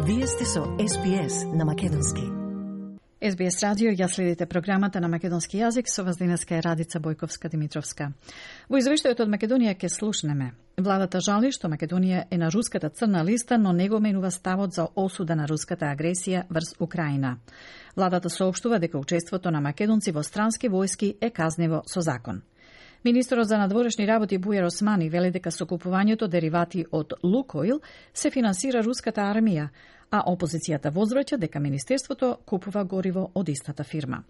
Вие сте со SBS на македонски. SBS радио, ја следите програмата на македонски јазик, со вас денеска е Радица Бојковска-Димитровска. Во извештајот од Македонија ќе слушнеме. Владата жали што Македонија е на руската црна листа, но не го менува ставот за осуда на руската агресија врз Украина. Владата соопштува дека учеството на македонци во странски војски е казниво со закон. Министерот за надворешни работи Бујар Османи вели дека со купувањето деривати од Лукойл се финансира руската армија, а опозицијата возвраќа дека Министерството купува гориво од истата фирма.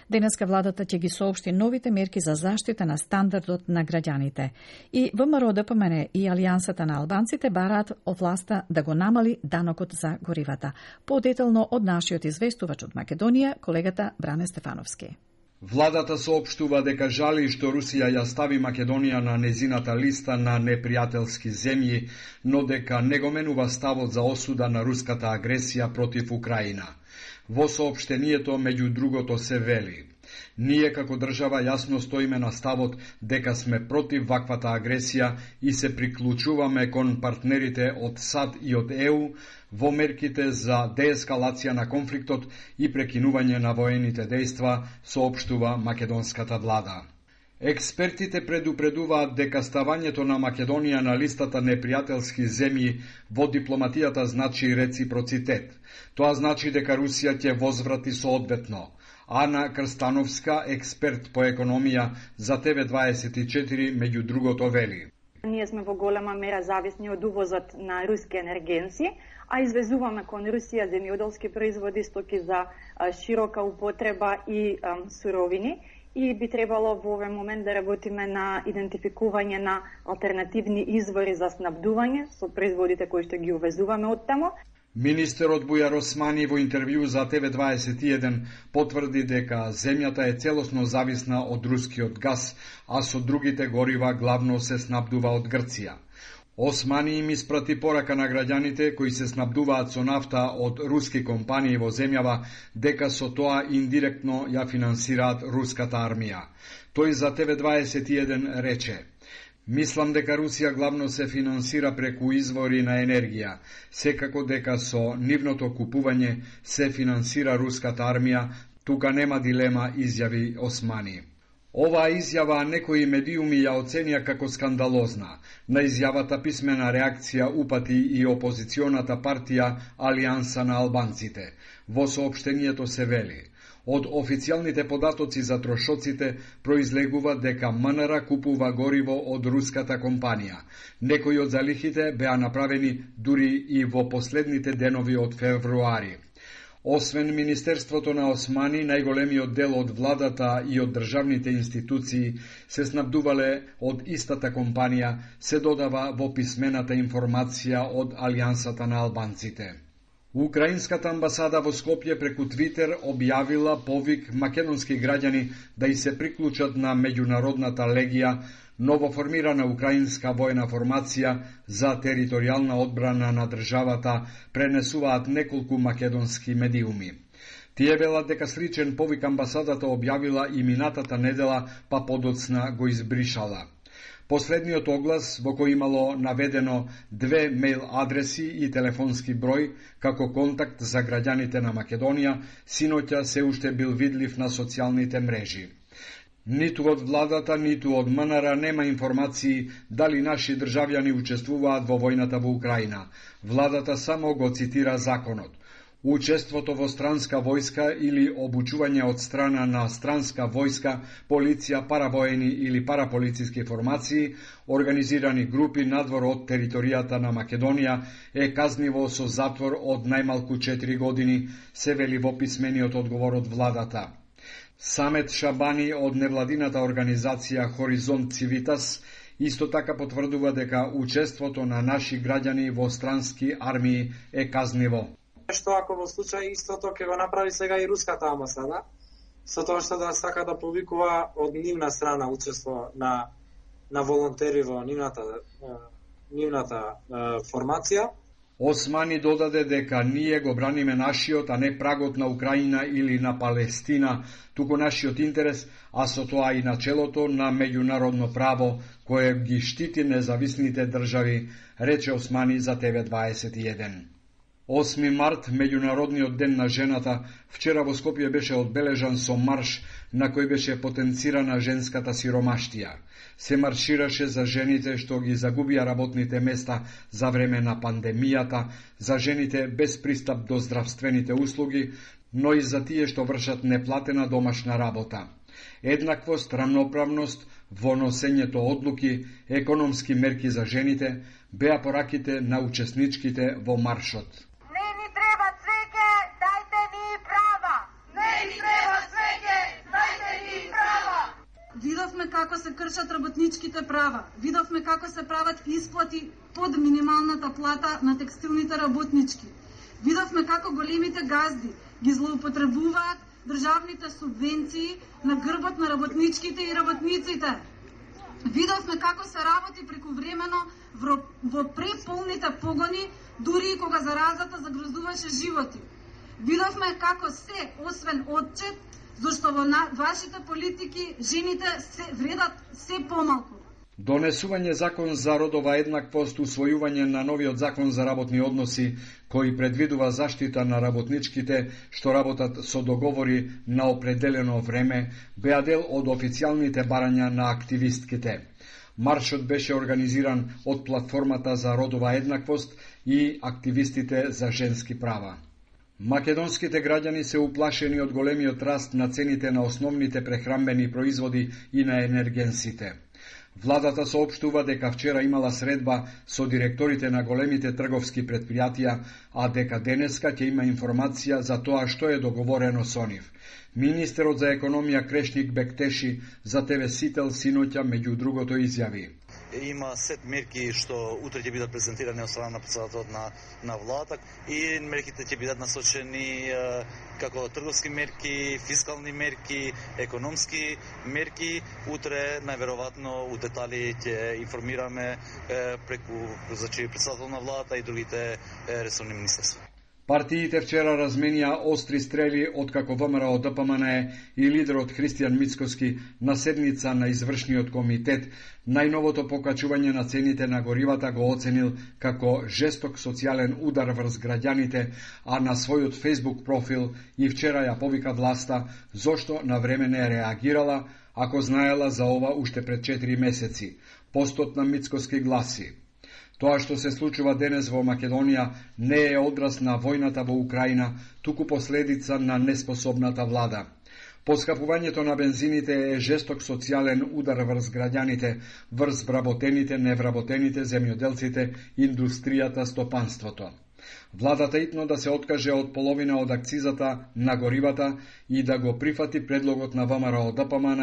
Денеска владата ќе ги соопшти новите мерки за заштита на стандардот на граѓаните. И ВМРО, ДПМН и Алијансата на албанците бараат од власта да го намали данокот за горивата. Подетелно од нашиот известувач од Македонија, колегата Бране Стефановски. Владата соопштува дека жали што Русија ја стави Македонија на незината листа на непријателски земји, но дека не го менува ставот за осуда на руската агресија против Украина. Во соопштението меѓу другото се вели: ние како држава јасно стоиме на ставот дека сме против ваквата агресија и се приклучуваме кон партнерите од САД и од ЕУ во мерките за деескалација на конфликтот и прекинување на воените дејства, соопштува македонската влада. Експертите предупредуваат дека ставањето на Македонија на листата непријателски земји во дипломатијата значи реципроцитет. Тоа значи дека Русија ќе возврати соодветно. Ана Крстановска, експерт по економија за TV24, меѓу другото вели: ние сме во голема мера зависни од увозот на руски енергенци, а извезуваме кон Русија земјоделски производи, стоки за широка употреба и суровини, и би требало во овој момент да работиме на идентификување на алтернативни извори за снабдување со производите кои што ги увезуваме од тамо. Министерот Бујар Османи во интервју за TV21 потврди дека земјата е целосно зависна од рускиот газ, а со другите горива главно се снабдува од Грција. Османи им испрати порака на граѓаните кои се снабдуваат со нафта од руски компании во земјава, дека со тоа индиректно ја финансираат руската армија. Тој за TV21 рече: мислам дека Русија главно се финансира преку извори на енергија, секако дека со нивното купување се финансира руската армија, тука нема дилема, изјави Османи. Оваа изјава некои медиуми ја оценија како скандалозна. На изјавата писмена реакција упати и опозиционата партија Алијанса на албанците. Во соопштението се вели: од официјалните податоци за трошоците произлегува дека МНР купува гориво од руската компанија. Некои од залихите беа направени дури и во последните денови од февруари. Освен Министерството на Османи, најголемиот дел од владата и од државните институции се снабдувале од истата компанија, се додава во писмената информација од Алијансата на албанците. Украинската амбасада во Скопје преку Твитер објавила повик македонски граѓани да и се приклучат на меѓународната легија, новоформирана украинска војна формација за територијална одбрана на државата, пренесуваат неколку македонски медиуми. Тие велат дека сличен повик амбасадата објавила и минатата недела, па подоцна го избришала. Последниот оглас, во кој имало наведено 2 мејл адреси и телефонски број како контакт за граѓаните на Македонија, синоќа се уште бил видлив на социјалните мрежи. Ниту од владата, ниту од МНР нема информации дали наши државјани учествуваат во војната во Украина. Владата само го цитира законот. Учеството во странска војска или обучување од страна на странска војска, полиција, паравоени или параполициски формации, организирани групи надвор од територијата на Македонија, е казниво со затвор од најмалку 4 години, се вели во писмениот одговор од владата. Самет Шабани од невладината организација Хоризонт Цивитас исто така потврдува дека учеството на наши граѓани во странски армии е казниво. Што ако во случај истото ќе го направи сега и руската амбасада, со тоа што да сака да повикува од нивна страна учество на волонтери во нивната формација. Османи додаде дека ние го браниме нашиот, а не прагот на Украина или на Палестина, туку нашиот интерес, а со тоа и начелото на меѓународно право, кое ги штити независните држави, рече Османи за TV21. 8 март, меѓународниот ден на жената, вчера во Скопје беше одбележан со марш на кој беше потенцирана женската сиромаштија. Се маршираше за жените што ги загубија работните места за време на пандемијата, за жените без пристап до здравствените услуги, но и за тие што вршат неплатена домашна работа. Еднаквост, рамноправност во носењето одлуки, економски мерки за жените беа пораките на учесничките во маршот. Не ни треба цвеќе, дајте ни права. Не ни треба цвеќе, дајте ни права. Видовме како се кршат работничките права. Видовме како се прават исплати под минималната плата на текстилните работнички. Видовме како големите газди ги злоупотребуваат државните субвенции на грбот на работничките и работниците. Видовме како се работи прекувремено во преполните погони, дури и кога заразата загрозуваше животи. Видовме како се, освен отчет, зашто во вашите политики жените вредат се помалку. Донесување закон за родова еднаквост, усвојување на новиот закон за работни односи, кој предвидува заштита на работничките што работат со договори на определено време, беа дел од официјалните барања на активистките. Маршот беше организиран од платформата за родова еднаквост и активистите за женски права. Македонските граѓани се уплашени од големиот раст на цените на основните прехранбени производи и на енергенсите. Владата соопштува дека вчера имала средба со директорите на големите трговски предпријатија, а дека денеска ќе има информација за тоа што е договорено со нив. Министерот за економија Крешник Бектеши за ТВ Сител синоќа меѓу другото изјави: Има сет мерки што утре ќе бидат презентирани од страна на председателот на владата и мерките ќе бидат насочени како трговски мерки, фискални мерки, економски мерки. Утре најверојатно у детали ќе информираме преку председател на владата и другите ресорни министерства. Партиите вчера разменија остри стрели откако ВМРО ДПМН и лидерот Христијан Мицкоски на седница на извршниот комитет најновото покачување на цените на горивата го оценил како жесток социјален удар врз граѓаните, а на својот Facebook профил и вчера ја повика власта зошто на време не реагирала, ако знаела за ова уште пред 4 месеци. Постот на Мицкоски гласи: Тоа што се случува денес во Македонија не е одраз на војната во Украина, туку последица на неспособната влада. Поскапувањето на бензините е жесток социјален удар врз граѓаните, врз вработените, невработените, земјоделците, индустријата, стопанството. Владата итно да се откаже од половина од акцизата на горивата и да го прифати предлогот на ВМРО ДПМН,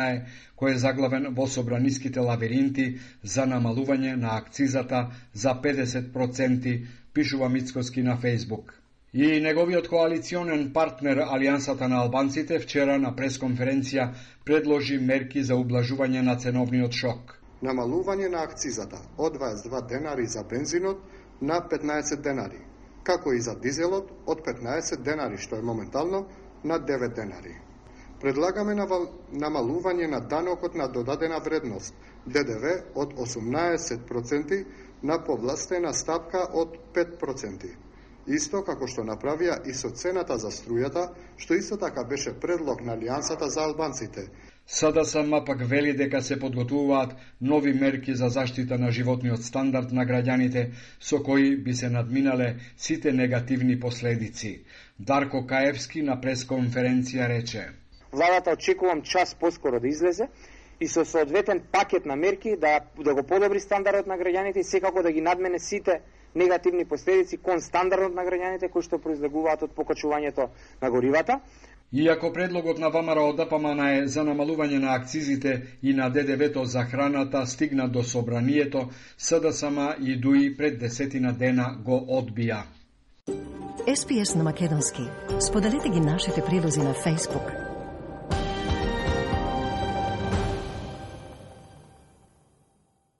кој е заглавен во собраниските лабиринти за намалување на акцизата за 50%, пишува Мицкоски на Фейсбук. И неговиот коалиционен партнер Алијансата на албанците вчера на пресконференција предложи мерки за ублажување на ценовниот шок. Намалување на акцизата од 22 денари за бензинот на 15 денари, како и за дизелот од 15 денари, што е моментално на 9 денари. Предлагаме намалување на данокот на додадена вредност, ДДВ од 18% на повластена стапка од 5%. Исто како што направија и со цената за струјата, што исто така беше предлог на Алијансата за албанците. СДСМ пак вели дека се подготвуваат нови мерки за заштита на животниот стандард на граѓаните, со кои би се надминале сите негативни последици. Дарко Каевски на пресконференција рече: Владата очекувам час поскоро да излезе и со соодветен пакет на мерки да го подобри стандардот на граѓаните и секако да ги надмене сите негативни последици кон стандардот на граѓаните кои што произлегуваат од покачувањето на горивата. Иако предлогот на ВМРО ДПМН за намалување на акцизите и на ДДВ-то за храната стигна до собранието, СДСМ и ДУИ пред 10 дена го одбија. SPS на македонски. Споделете ги нашите прилози на Facebook,